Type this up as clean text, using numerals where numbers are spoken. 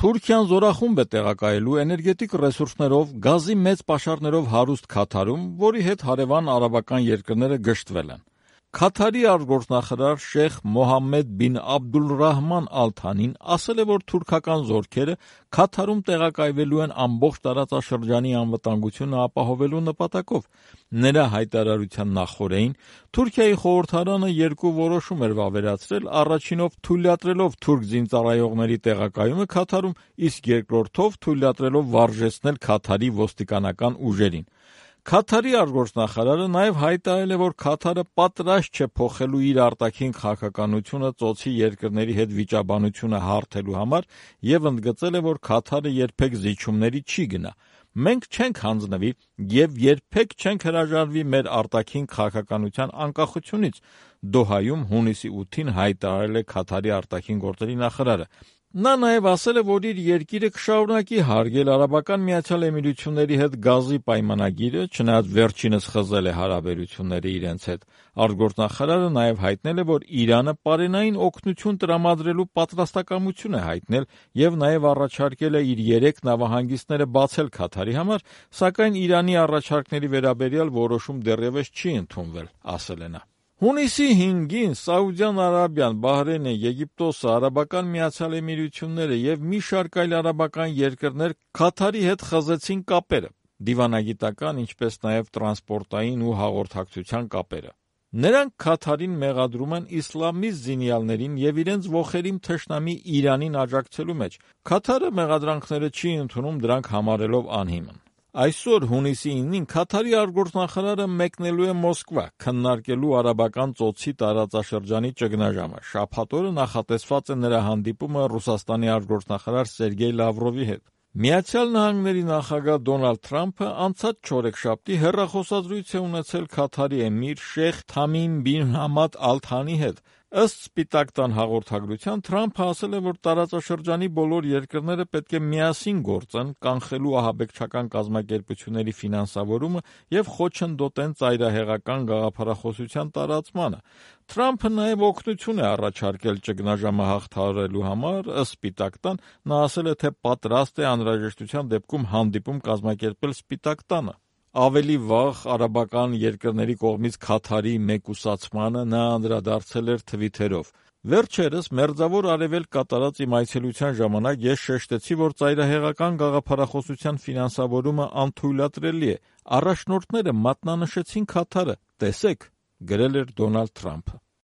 Թուրքիան զորախումբ է տեղակայելու էներգետիկ ռեսուրսներով, գազի մեծ պաշարներով հարուստ Քաթարում, որի հետ հարևան արաբական երկրները գժտվել են։ Քաթարի արտգործնախարար Շեյխ Մոհամմեդ բին Աբդուլռահման Ալ Թանին ասել է, որ թուրքական զորքերը Քաթարում տեղակայվելու են ամբողջ տարածաշրջանի անվտանգությունը ապահովելու նպատակով։ Նրա հայտարարության նախօրեին Թուրքիայի խորհրդարանը երկու որոշում էր վավերացրել, առաջինով թույլատրելով թուրք զինծառայողների տեղակայումը Քաթարում, իսկ երկրորդով թույլատրելով վարժեցնել Քաթարի ոստիկանական ուժերին։ Քաթարի արտգործնախարարը նաև հայտարարել է, որ Քաթարը պատրաստ չէ փոխելու իր արտաքին քաղաքականությունը ծոցի երկրների հետ վիճաբանությունը հարթելու համար և ընդգծել է, որ Քաթարը երբեք զիջումների չի գնա։ Մենք չենք հանձնվի և երբեք չենք հրաժարվի մեր արտաքին քաղաքականության անկախությունից, Դոհայում հունիսի 8-ին հայտարարել է Քաթարի արտաքին գործերի նախարարը։ Նա նաև ասել է, որ իր երկիրը կշարունակի հարգել Արաբական Միացյալ Էմիրությունների հետ գազի պայմանագիրը, չնայած վերջինս խզել է հարաբերությունները իրենց հետ։ Արտգործնախարարը նաև հայտնել է, որ Իրանը պարենային օգնություն տրամադրելու պատրաստակամություն է հայտնել և նաև առաջարկել է իր 3 նավահանգիստները բացել Քաթարի համար, սակայն Իրանի առաջարկների վերաբերյալ որոշում դեռևս չի ընդունվել, ասել է նա։ Հունիսի 5-ին Սաուդյան Արաբիան, Բահրեյնը, Եգիպտոսը, Արաբական Միացյալ Էմիրությունները և մի շարք այլ արաբական երկրներ Քաթարի հետ խզեցին կապերը, դիվանագիտական, ինչպես նաև տրանսպորտային ու հաղորդակցության կապերը։ Նրանք Քաթարին մեղադրում են իսլամիստ զինյալներին և իրենց ոխերիմ թշնամի Իրանին աջակցելու մեջ։ Քաթարը մեղադրանքները չի ընդունում, դրանք համարելով անհիմն։ Այսօր հունիսի 9-ին Քաթարի արտգործնախարարը մեկնելու է Մոսկվա, քննարկելու արաբական ծոցի տարածաշրջանի ճգնաժամը։ Շաբաթ օրը նախատեսված է նրա հանդիպումը Ռուսաստանի արտգործնախարար Սերգեյ Լավրովի հետ։ Միացյալ Նահանգների նախագահ Դոնալդ Թրամփը անցած չորեքշաբթի հեռախոսազրույց է ունեցել Քաթարի էմիր Շեյխ Թամիմ բին Համադ Ալ Թանի հետ։ Ըստ Սպիտակ տան հաղորդագրության, Թրամփը ասել է, որ տարածաշրջանի բոլոր երկրները պետք է միասին գործեն, կանխելու ահաբեկչական կազմակերպությունների ֆինանսավորումը և խոչընդոտեն ծայրահեղական գաղափարախոսության տարածմանը։ Թրամփը նաև օգնություն է առաջարկել ճգնաժամը հաղթահարելու համար, ըստ Սպիտակ տան, նա ասել է, թե պատրաստ է անհրաժեշտության դեպքում հանդիպում կազմակերպել Սպիտակ տանը։ Ավելի վաղ արաբական երկրների կողմից Քաթարի մեկուսացմանը նա անդրադարձել էր թվիթերով. Վերջերս Մերձավոր Արևելք կատարած իմ այցելության ժամանակ ես շեշտեցի, որ ծայրահեղական գաղափարախոսության ֆինանսավորումը անթույլատրելի է։ Առաջնորդները մատնանշեցին Քաթարը, տեսեք, գրել էր Դոնալդ Թրամփը։